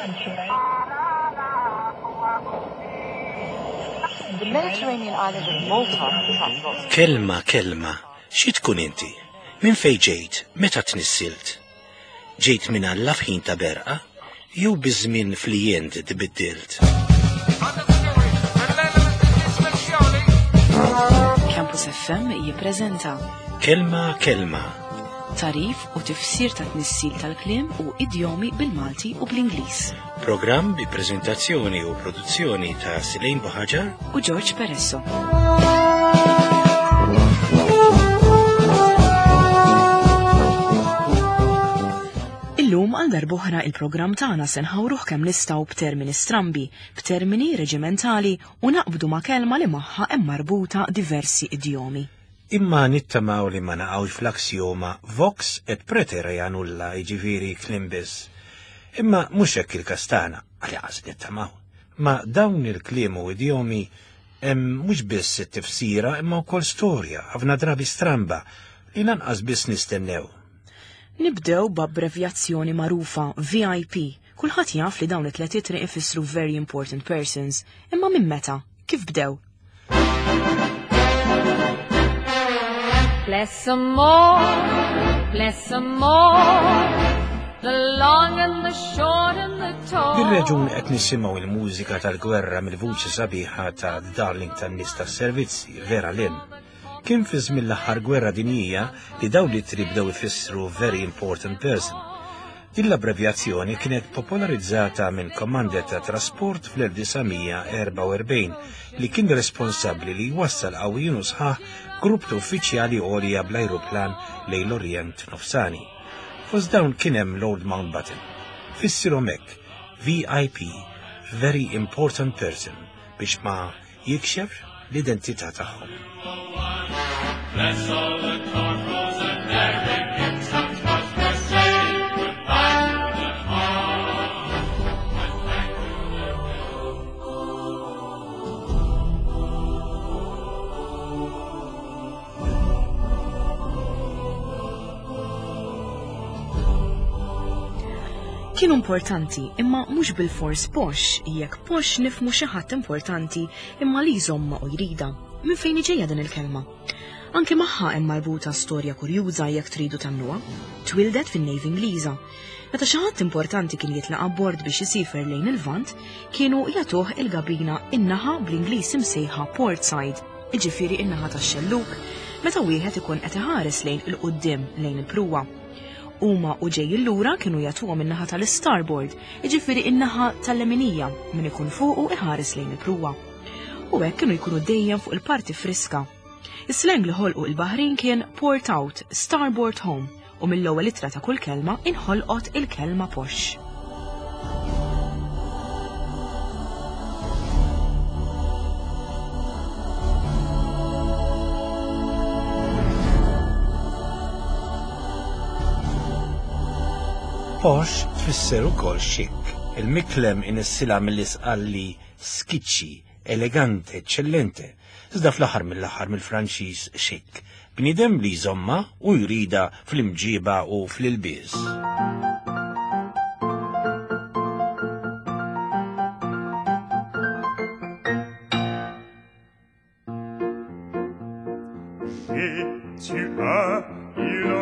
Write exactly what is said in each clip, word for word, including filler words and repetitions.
The Mediterranean island of Malta attracts lots of Kelma, kelma, xi tkun inti? Minn fejn ġejt, meta tnissilt? Ġejt minn Alla f'ħin ta' berqa, jew biż-żmien flijent tbiddilt? Campus F M jippreżenta Kelma, kelma, tagħrif u tifsir ta' tnissil tal-kliem u idjomi bil-Malti u bl-Ingliż. Programm bi preżentazzjoni u produzzjoni ta' Silejn Buħaġar u George Peresso. Illum għal darb'oħra il-programm tagħna se nħawruh kemm nistgħu b'termini strambi, b'termini reġimentali u naqbdu ma' kelma li magħha hemm marbuta diversi idjomi. Imma nittamaw li ma naqgħux fl-aksjoma vox et praeterea nulla, jiġifieri kliem biss. Imma mhux hekk il-kastana, għalli nittamaw. Ma dawn il-kliem u idjomi hemm mhux biss it-tifsira imma wkoll storja, ħafna drabi stramba, li lanqas biss nistennew. Nibdew b'abbrevjazzjoni magħrufa, V I P. Kulħadd jaf li dawn it-tliet ittri ifissru Very Important Persons, imma minn meta? Kif bdew? Bless 'em all, bless 'em all, the long and the short and the tall. Bir-reġun qed nisimgħu il-mużika tal-gwerra mill-vuċi sabiħa ta' darling tan-nies tas-servizzi, Vera Lynn. Kien fi żmien l-aħħar gwerra dinjija li dawn l-ittri bdew ifissru Very Important Person. Din l-abbrevjazzjoni kienet popolarizzata minn commander ta' trasport fl-elf disa' mija erbgħa u erbgħin li kien responsabbli li jwassal qawwijin u sħaħ grupp ta' uffiċjali għolja bl-ajruplan lejn l-Orjent Nofsani. Fost dawn kien hemm Lord Mountbatten. Fissirhom hekk, V I P, Very Important Person, biex ma jikxef l-identità tagħhom. Bless all the corporals and their victims, 'cause we're saying goodbye to them all. And thank you their Kienu importanti, imma mhux bil-fors posh, jekk posh nifhmu xi ħadd importanti imma li jżomma u jrida. Minn fejn ġejja din il-kelma? Anki magħha hemm marbuta storja kurjuża jekk tridu tagħmluha. Twildet fin-Navy Ingliża. Meta xi ħadd importanti kien jitlaq abbord biex isifer lejn il-Vant, kienu jagħtuh il-gabina in-naħa bl-Ingliż imsejħa port side, iġifieri in-naħa tax-xelluk, meta wieħed ikun qed iħares lejn il-quddiem, lejn il-pruwa. Huma u ġejjin lura kienu jagħtuhom in-naħa tal-starboard, iġifieri in-naħa tal-leminija, min ikun fuqu iħares lejn il-pruwa. U hekk kienu jkunu dejjem fuq il-parti friska. Is-slang li ħolqu il-baħrin kien "port out, starboard home", u mill-ewwel ittra ta' kull kelma inħolqot il-kelma posh. Posh tfisser ukoll chic. Il-miklem inissilha mill-Isqalli skiċċi, elegante, eccellente. Iżda fl-aħħar mill-aħħar mill-Franċiż chic. Bniedem li jżomma u jrida fl-imġiba u fl-ilbies. J'ai, tu as, il a,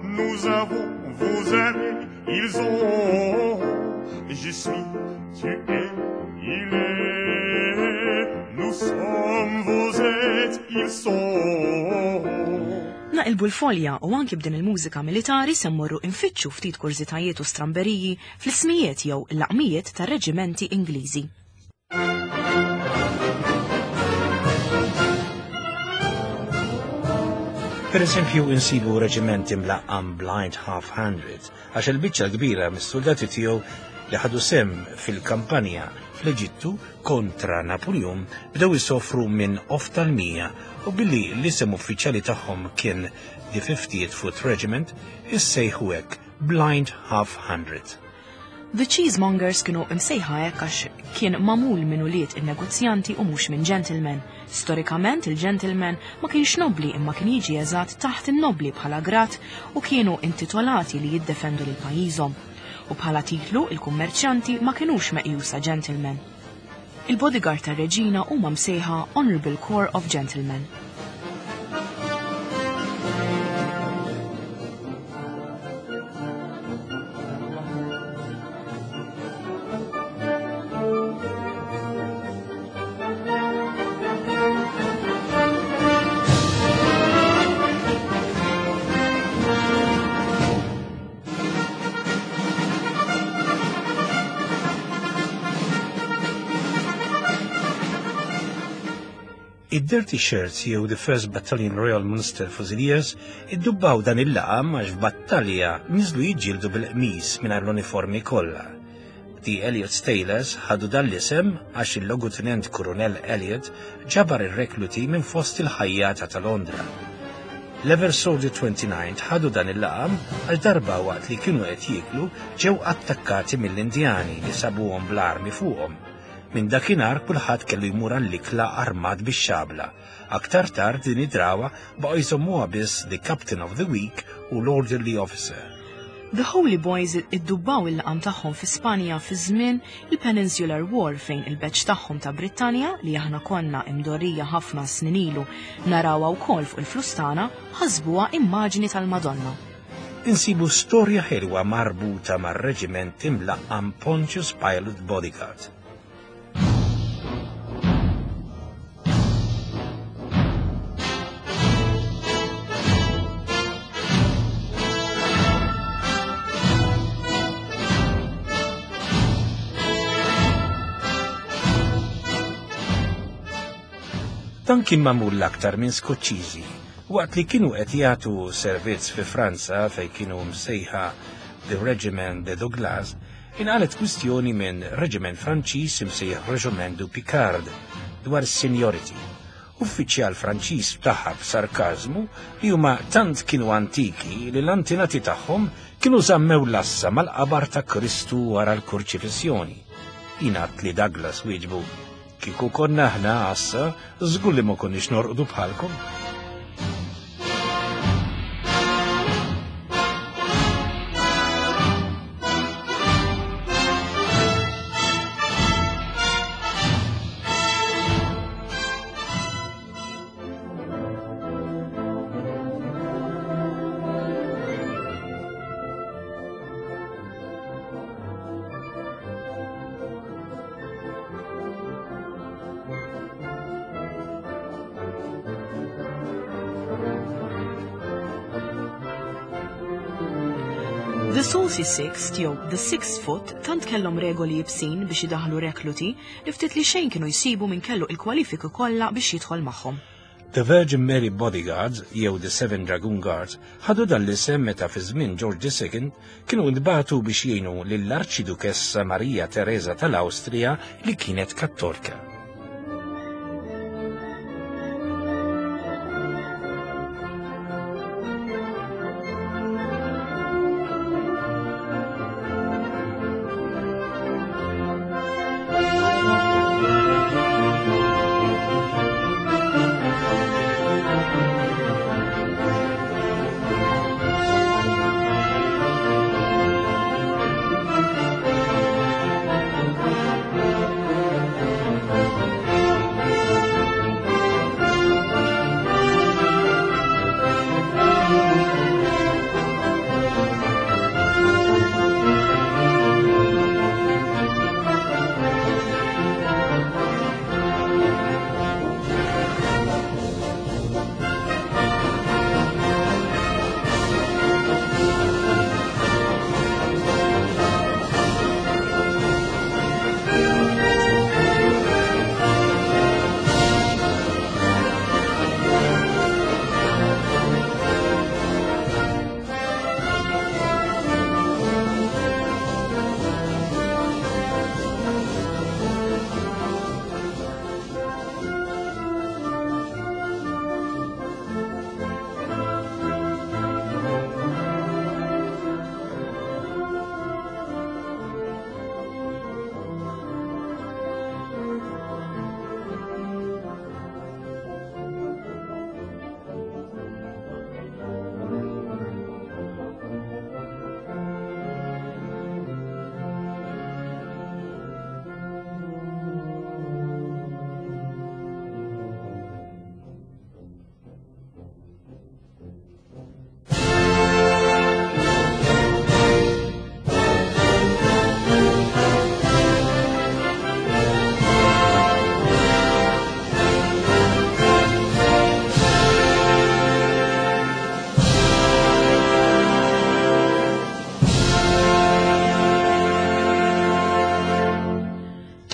nous avons, vous avez, ils ont. Je suis, tu es, il est, nous sommes, vous êtes, ils sont. Naqilbu l-folja u anki b'din il-mużika militari se mmorru infittxu ftit kurżitajiet u stramberiji fl-ismijiet jew l-laqmijiet tar-reġimenti Ingliżi. Per eżempju, insibu reġiment imlaqqam Blind Half Hundred, għax il-biċċa kbira mis-soldati tiegħu li ħadu sehem fil-kampanja fl-Eġittu kontra Napoleon bdew isofru minn oftalmija u billi l-isem uffiċjali tagħhom kien The fiftieth Foot Regiment, issejħu hekk, Blind Half Hundred. The Cheesemongers kienu imsejħa hekk għax kien magħmul minn ulied in-negozjanti u mhux minn gentlemen. Storikament il-gentleman ma kienx nobli imma kien jiġi eżatt taħt in-nobli bħala grad u kienu intitolati li jiddefendu lil pajjiżhom. u bħala titlu il-kummerċjanti ma kinux meqjusa gentlemen. Il-bodyguard tar-reġina huma msejħa Honorable Corps of Gentlemen. Id-Dirty Shirts jew The First Battalion Royal Munster Fusiliers iddubbaw dan il-laqam għax f'battalja niżlu jiġġieldu bil-qmis mingħajr l-uniformi kollha. The Elliot's Tailors ħadu dan l-isem għax il-logutenent Kurunell Elliot ġabar ir-rekluti minn fost il-ħajjata ta' Londra. L-Eversworthy twenty-nine ħadu dan il-laqam għal darba waqt li kienu qed jieklu ġew attakkati mill-Indjani li sabuhom bl-armi fuqhom. Minn dakinhar kulħadd kellu jmur għall-ikla armat bix-xabla. Aktar tard din id-drawa baqgħu jżommuha biss the Captain of the Week u l-Orderly Officer. The Holy Boys iddubbaw il-laqam tagħhom fi Spanja fi żmien il-Peninsular War fejn il-beċ tagħhom ta' Brittanja li aħna konna imdorrija ħafna snin ilu narawha wkoll fuq il-flus tagħna ħasbuha immaġni tal-Madonna. Insibu storja ħelwa marbuta mar-reġiment imlaqqam Pontius Pilate Bodyguard. Dan kien magħmul l-aktar minn Skoċċiżi, waqt li kienu qed jagħtu servizz fi Franza fejn kienu msejħa The Regiment de Douglas, inqalet kwistjoni minn reġiment Franċiż imsejjaħ Regiment du Picard dwar seniority. Uffiċjal Franċiż taħħa b'sarkażmu li huma tant kienu antiki li l-antinati tagħhom kienu żammew l-assa mal-qabar ta' Kristu wara l-kurċifissjoni. Ingħad li Douglas wieġbu: kieku konna aħna għassa, żgur li ma konniex norqdu bħalkom. The Saucy Six jew The Six Foot tant kellhom regoli jibsin biex idaħlu rekluti li ftit li xejn kienu jsibu minn kellu il-kwalifiki kollha biex jidħol magħhom. The Virgin Mary Bodyguards jew The Seven Dragoon Guards ħadu dan l-isem meta fi żmien George the Second kienu ntbagħtu biex jgħinu lill-Arċidukessa Maria Teresa tal-Awstrija li kienet Kattolika.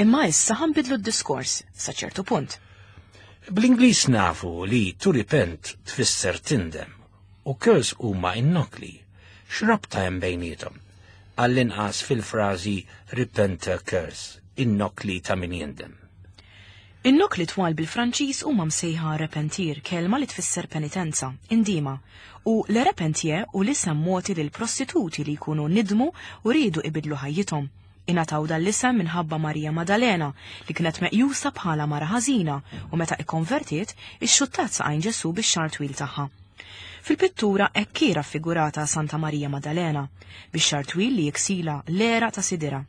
Imma issa ħa nbiddlu d-diskors sa ċertu punt. Bl-Ingliż nafu li to repent tfisser tindem u curse huma innokli. X'rabta hemm bejniethom? Għall-inqas fil-frażi repent a curse, innokli ta' min jindem. In-nokli twal bil-Franċiż huma msejħa repentir, kelma li tfisser penitenza, indima, u le repentier hu l-isem mogħti lil prostituti li jkunu nidmu u riedu ibidlu ħajjithom. Ingħataw dan l-isem minħabba Marija Maddalena li kienet meqjusa bħala mara ħażina u meta ikkonvertiet ixxuttat saqajn Ġesu bix-xagħar twil tagħha. Fil-pittura hekk hi raffigurata Santa Marija Maddalena bix-xagħar twil li jiksila l-għeraq ta' sidirha.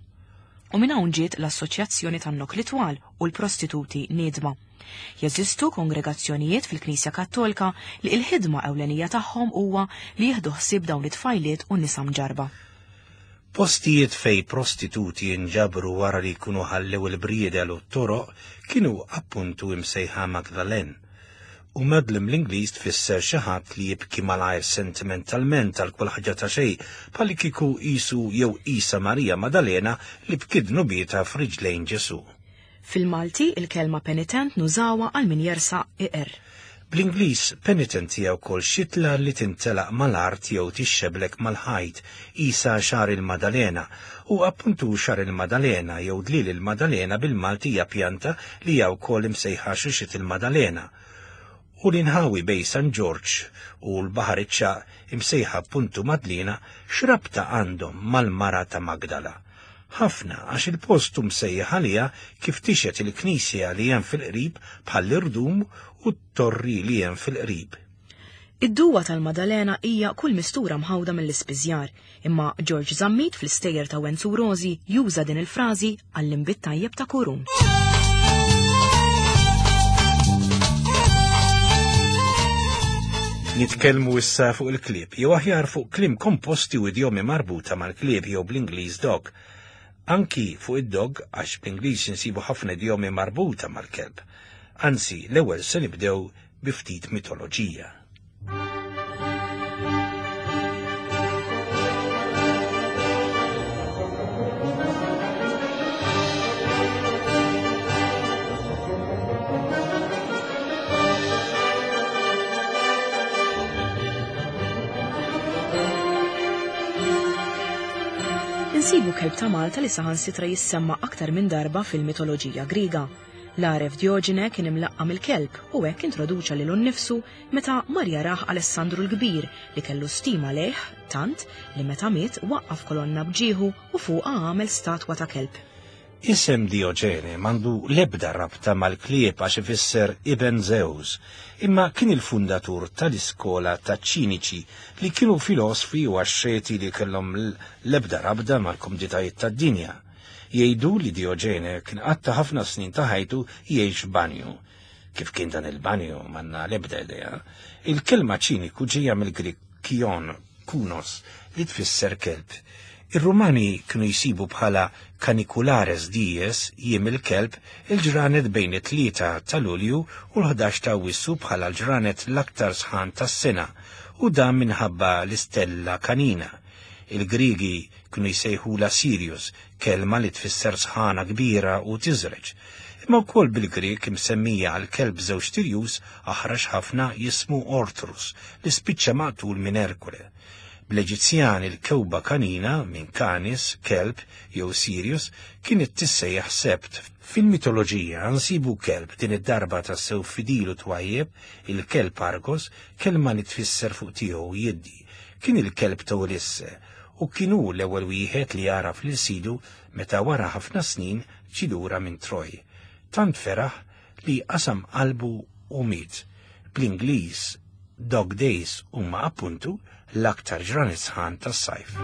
U minn hawn ġiet l-assoċjazzjoni tan-nokli twal u l-prostituti niedma. Jeżistu kongregazzjonijiet fil-Knisja Kattolika li l-ħidma ewlenija tagħhom huwa li jieħdu ħsieb dawn it-tfajliet u nisa mġarba. Postijiet fej prostituti jinġabru wara li jkunu ħallew il-briedel u t-toroq kienu appuntu imsejħa Magdalen. U Madeleine bl-Ingliż tfisser xi ħadd li jibki malajr sentimentalment għal kull ħaġa ta' xejn, bħalli kieku qisu jew qisha Marija Maddalena li bkiet dnubietha f'riġlejn Ġesu. Fil-Malti il-kelma penitent nużawha għal min jersaq iqer. Bl-Ingliż penitent hija wkoll xitla li tintelaq mal-art jew tixxeblek mal-ħajt, qisha xagħar il-Maddalena, u appuntu xagħar il-Maddalena jew dlil il-Maddalena bil-Malti hija pjanta li hija wkoll imsejħa xuxit il-Maddalena. U l-inħawi bej San Ġorġ u l-Baħar iċ-Ċagħaq imsejħa appuntu Madlina x'rabta għandhom mal-mara ta' Magdala. Ħafna għax il-post hu msejjaħ għaliha kif tixet il-knisja li hemm fil-qrib bħall-irdum u t-torri li hemm fil-qrib. Id-duwa tal-Maddalena hija kull mistura mħawda mill-ispiżjar, imma George Zammit fl-istejjer ta' Wenzu Rosi juża din il-frażi għall-inbid tajjeb ta' Kurun. Nitkellmu issa fuq il-klieb, jew aħjar fuq kliem komposti u idjomi marbuta mal-klieb jew bl-Ingliż dog. Anki fuq id-dog, għax bl-Ingliż insibu ħafna idjomi marbuta mal-kelb. Anzi, l-ewwel se nibdew bi ftit mitoloġija. Insibu kelb ta' Malta li saħansitra jissemma aktar minn darba fil-mitoloġija Griega. L-għaref Dioġene kien imlaqqam il-kelb u hekk introduċa lilu nnifsu meta mar jarah Alessandru l-Kbir li kellu stima lejh tant li meta miet waqqaf kolonna bġieħu u fuqha għamel statwa ta' kelb. Isem Dioġene m'għandu l-ebda rabta mal-klieb għax ifisser Ibn Zeus, imma kien il-fundatur tal-iskola ta' ċiniċi li kienu filosfi u axxeti li kellhom l-ebda rabda mal-komditajiet tad-dinja. Jgħidu li Dioġene kien qatta ħafna snin ta' ħajtu jgħix banju. Kif kien dan il-banju m'għandna l-ebda idea. Il-kelma ċiniku ġejja mill-Grik kion, kunos, li tfisser kelb. Ir-Rumani kienu jsibu bħala caniculares dies jiem il-kelb il-ġranet bejn it-tlieta ta' Lulju u l-ħdax ta' Awwissu bħala l-ġranet l-aktar sħan tas-sena, u dan minħabba l-istella kanina. Il-Grigi kienu jsejħula Sirius, kelma li tfisser sħana kbira u tiżreġ. Imma wkoll bil-Grek imsemmija għal kelb żewġ tirjus aħrax ħafna jismu Ortrus li spiċċa maqtul minn Erkule. Bl-Eġizzjan il-kewba kanina minn Canis, kelb jew Sirius kienet tissejjaħ Sebt. Fil-mitoloġija nsibu kelb din id-darba tassew fidil u twajjeb, il-kelb Argos, kelma li tfisser fuq tiegħu jiddi. Kien il-kelb ta' Ulisse u kien hu l-ewwel wieħed li għaraf lil sidu meta wara ħafna snin ġie lura minn Troj. Tant feraħ li qasam qalbu u miet. Bl-Ingliż Dog Days huma appuntu l-aktar ġranet sħan tas-sajf.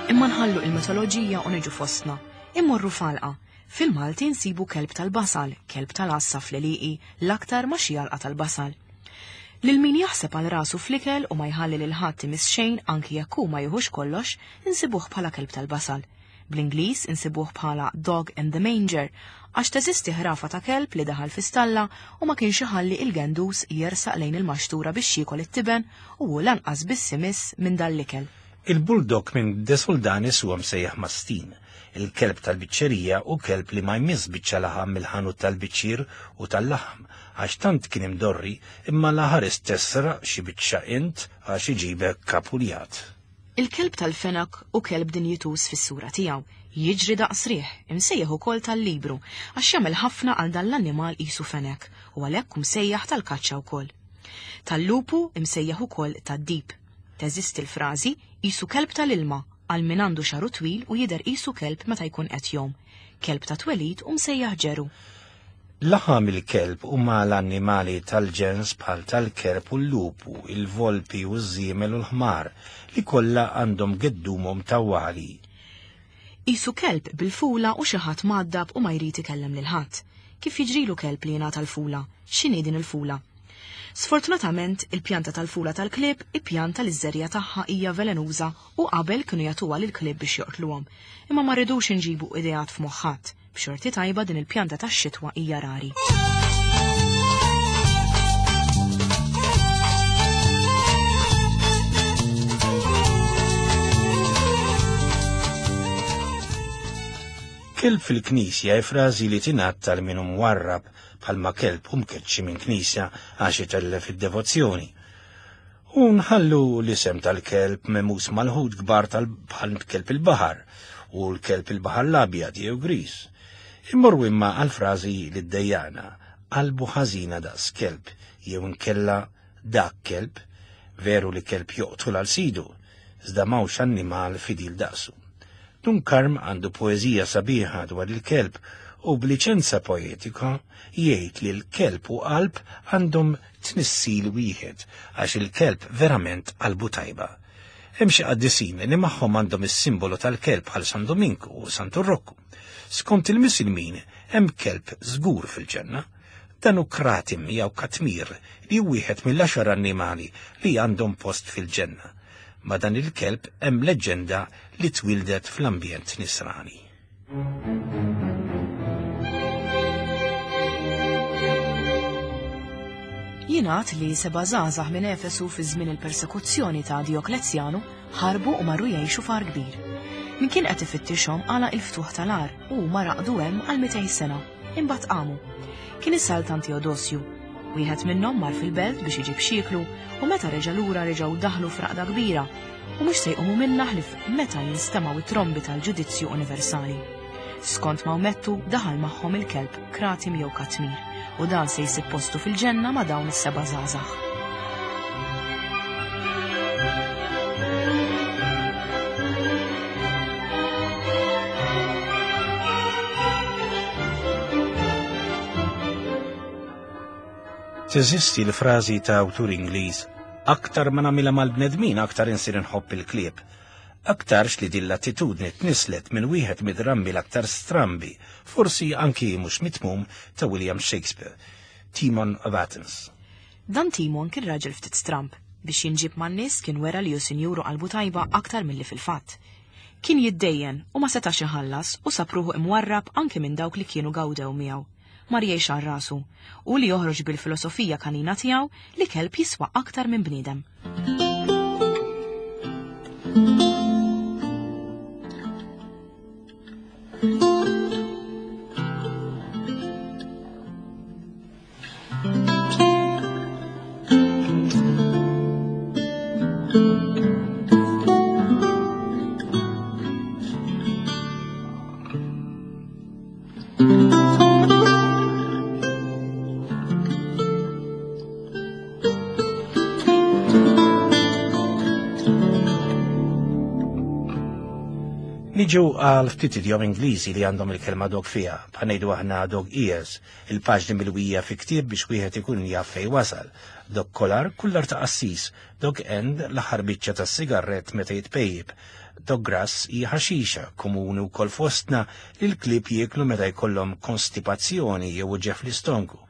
Imma nħallu il-mitoloġija u niġu fostna. Immorru falqa. Fil-Malti nsibu kelb tal-basal, kelb tal-għassa fl-għelieqi, l-aktar ma xi għalqa tal-basal. Lil min jaħseb għal rasu fl-ikel u ma jħalli lil ħadd imiss xejn anki jekk hu ma jieħux kollox, insibuh bħala kelb tal-basal. Bl-Ingliż insibuh bħala dog in the manger, għax teżisti ħrafa ta' kelb li daħal fi stalla u ma kienx iħalli il-gendus jersaq lejn il-maxtura biex jiekol it-tiben u hu lanqas biss imiss minn dal-ikel. Il-bulldog minn De Soldanis huwa msejjaħ mastin, il-kelb tal-biċċerija u kelb li ma jmiss biċċa laħam mill-ħanut tal-biċċir u tal-laħam, għax tant kien imdorri imma laħares tesraq xi biċċa int għax iġibek kapuljat. Il-kelb tal-fenak u kelb dinjituż fis-sura tiegħu, jiġri daqs riħ, imsejjaħ ukoll tal-libru, għax jagħmel ħafna għal dan l-annimal qisu fenek u għalhekk msejjaħ tal-kaċċa wkoll. Tal-lupu imsejjaħ ukoll tad-dib. Teżisti l-frażi qisu kelb tal-ilma għal min għandu xaru twil u jidher qisu kelb meta jkun qed jgħum. Kelb ta' twelid u msejjaħ ġeru. Laħam il-kelb huma l-annimali tal-ġens bħal tal-kerb u l-lupu, il-volpi u ż-żiemel u l-ħmar li kollha għandhom geddumhom tawwali. Qisu kelb bil-fula u xi ħadd mgħaddab u ma jrid ikellem lil ħadd. Kif jiġrilu kelb li jingħata l-fula? X'inhi din il-fula? Sfortunatament, il-pjanta tal-fula tal-klieb, il-pjanta li ż-żerja tagħha hija velenuża u qabel kienu jagħtuha lill-klieb biex joqtluhom. Imma ma rridux inġibu ideat f'moħħ ħadd. B'xorti tajba din il-pjanta tax-xitwa hija rari. Kelb fil-knisja hi frażi li tingħad tal min hu mwarrab bħalma kelb hu mkeċċi minn knisja għax itellef id-devozzjoni. U nħallu l-isem tal-kelb memus mal-ħut kbar tal bħal kelb il-baħar u l-kelb il-baħar l-abjad jew gris. Immorru imma għal-frażi li ddejjana, qalbu ħażina daqs kelb jew inkella dak kelb, veru li kelb joqtol għal sidu, iżda m'hawnx annimal fidil daqsu. Dun Karm għandu poeżija sabiħa dwar il-kelb u b'liċenza poetika jgħid li l-kelb u qalb għandhom tnissil wieħed għax il-kelb verament qalbu tajba. Hemm xi qaddisin li magħhom għandhom is-simbolu tal-kelb bħal San Dominku u Santu Rokku. Skont il-Misilmin hemm kelb żgur fil-ġenna. Dan hu kratim jew katmir li hu wieħed mill-għaxar annimali li għandhom post fil-ġenna. Ma dan il-kelb hemm leġġenda li twildet fl-ambjent nisrani. Jingħad li seba' żgħażagħ minn Efesu fi żmien il-persekuzzjoni ta' Dioklezjanu ħarbu u marru jgħixu f'għar kbir. Min kien qed ifittixhom għalaq il-ftuħ tal-għar u huma raqdu hemm għal mitejn sena, imbagħad qamu. Kien is-Sultan Teodosju. Wieħed minnhom mar fil-belt biex iġib xieklu u meta reġa' lura reġgħu daħlu f'raqda kbira u mhux se jqumu minnha ħlief meta jinstemgħu it-trombi tal-ġudizzju universali. Skont Mawmettu daħal magħhom il-kelb Kratim jew Katmir u dan se jsib postu fil-ġenna ma' dawn is-seba' żgħażagħ. Teżisti l-frażi ta' awtur Ingliż, aktar ma nagħmilha mal-bnedmin aktar insir inħobb il-klieb. Aktarx li din l-attitudni tnislet minn wieħed mid-drammi l-aktar strambi, forsi anki mhux mitmum, ta' William Shakespeare, Timon of Athens. Dan Timon kien raġel ftit stramb, biex jinġib man-nies kien wera li hu sinjuru qalbu tajba aktar milli fil-fatt. Kien jiddejjen u ma setax iħallas u sab ruħu imwarrab anki minn dawk li kienu gawdew miegħu. Mar jgħix għal rasu u li joħroġ bil-filosofija kanina tiegħu li kelb jiswa aktar minn bniedem. Niġu għal ftit idjom Ingliżi li għandhom il-kelma dog fiha, bħal ngħidu aħna dog ears, il-paġni milwija fi ktieb biex wieħed ikun jaf fejn wasal. Dog collar, kullar ta' qassis, dog end, l-aħħar biċċa tas-sigarett meta jitpejjib. Dog grass hija ħaxixa komuni wkoll fostna li l-klieb jieklu meta jkollhom konstipazzjoni jew uġigħ fl-istonku.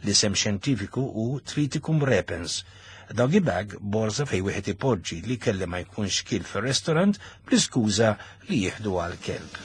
L-isem xjentifiku hu Triticum repens. Doggy bag borza fej wieħed ipoġġi li kelli ma jkunx kil fir-restorant bl-iskuża li jieħdu għal kelb.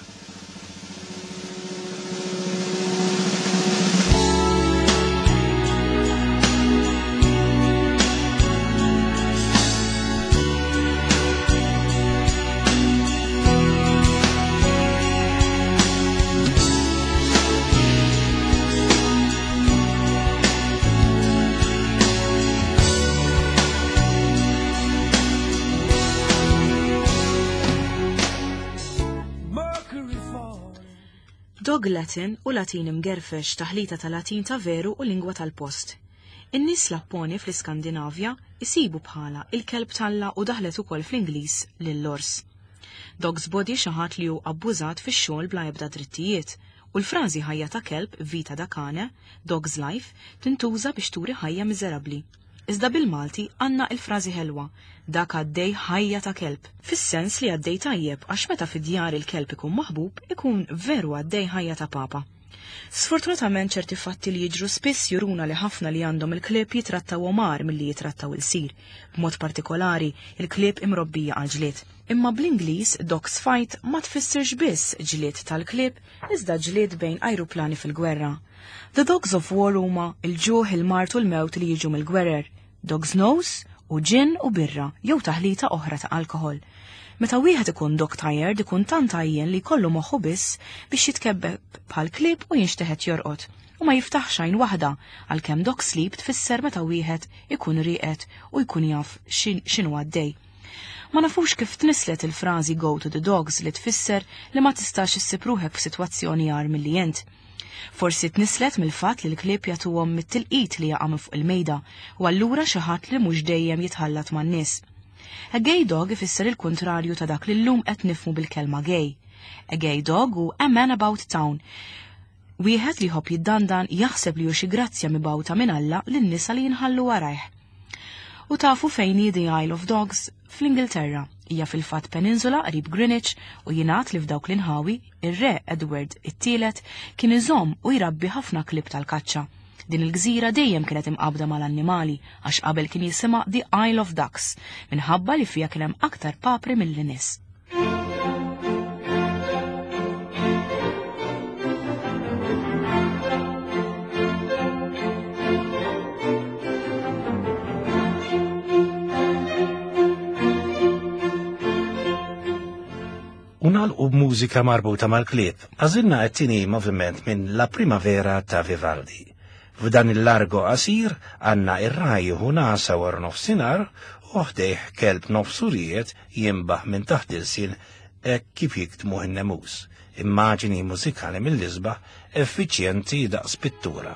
Dog Latin u Latin imgerfex, taħlita ta' Latin ta' veru u lingwa tal-post. In-nies Lapponi fl-Iskandinavja isibu bħala il-kelb talla u daħlet ukoll fl-Ingliż lill-ors. Dog's body xi ħadd li hu abbużat fix-xogħol bla ebda drittijiet, u l-frażi ħajja ta' kelb, vita da cane, dog's life, tintuża biex turi ħajja miżerabbli. Iżda bil-Malti għandna il-frażi ħelwa, dak għaddej ħajja ta' kelb, fis-sens li għaddej tajjeb għax meta fid-djar il-kelb ikun maħbub ikun veru għaddej ħajja ta' papa. Sfortunatament ċerti fatti li jiġru spiss juruna li ħafna li għandhom il-klieb jitrattaw omar milli jitrattaw il-sir, b'mod partikolari il-klieb imrobbija għal ġlied. Imma bl-Ingliż dogs fight ma tfissirx biss ġlied tal-klieb, iżda ġlied bejn ajruplani fil-gwerra. The Dogs of War huma il-ġuħ, il-mart u l-mewt li jiġu mill-gwerer, dog's nose u ġin u birra jew taħlita oħra ta' alkohol. Meta wieħed ikun dog tired ikun tant għajjen li jkollu moħħu biss biex jitkebbeb bħal klieb u jinxteħet jorqod u ma jiftaħx għajn waħda, għalkemm dog sleep tfisser meta wieħed ikun rieqed u jkun jaf x'inhu għaddej. Ma nafux kif tnislet il-frażi go to the dogs li tfisser li ma tistax issib ruħek f'sitwazzjoni agħar milli int. Forsi tnislet mill-fatt li l-klieb jagħtuhom mit-tilqit li jaqa' minn fuq il-mejda u allura xi ħadd li mhux dejjem jitħallat man-nies. A gay dog ifisser il-kuntrarju ta' dak li llum qed nifhmu bil-kelma gay. A gay dog hu a man about town. Wieħed li jħobb jiddandan jaħseb li hu xi grazzja mibgħuta minn Alla lin-nisa li jinħallu warajh. U tafu fejn hi the Isle of Dogs? Fl-Ingilterra. Hija fil-fatt peninsula qrib Greenwich u jingħad li f'dawk l-inħawi ir-re Edward it-tielet kien iżomm u jrabbi ħafna klieb tal-kaċċa. Din il-gżira dejjem kienet imqabda mal-annimali għax qabel kien jisimha The Isle of Ducks minħabba li fiha kien hemm aktar papri milli nies. U nagħlqu b'mużika marbuta mal-klieb. Għażilna t-tieni moviment minn La Primavera ta' Vivaldi. F'dan il-largo qasir għandna ir-raj jieħu nasa wara nofsinhar u ħdejh kelb nofsurijiet jinbaħ minn taħt il-sin hekk kif jiktmuh in-nemus. Immaġini mużikali mill-isbaħ effiċjenti daqs pittura.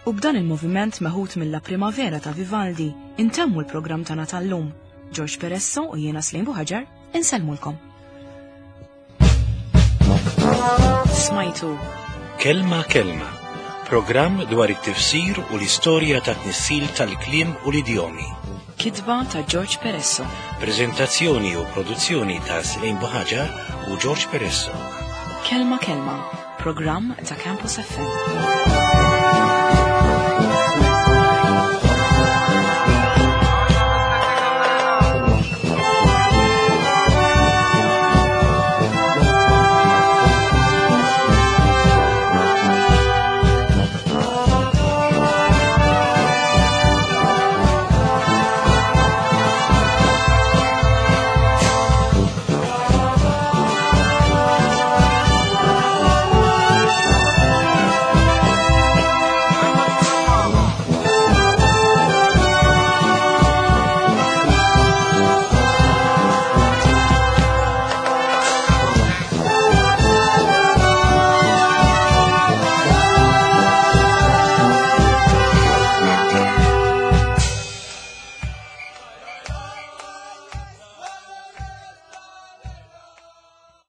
U b'dan il-moviment meħud mill-La Primavera ta' Vivaldi, intemmu l-programm tagħna tal-lum. George Peresso u jiena Slim Buħaġar, insellmulkom. Smajtu Kelma Kelma, programm dwar it-tifsir u l-istorja ta' tnissil tal-kliem u l-idjomi. Kitba ta' George Peresso. Prezentazzjoni u produzzjoni ta' Slim Buħaġar u George Peresso. Kelma Kelma, programm ta' Campus F M.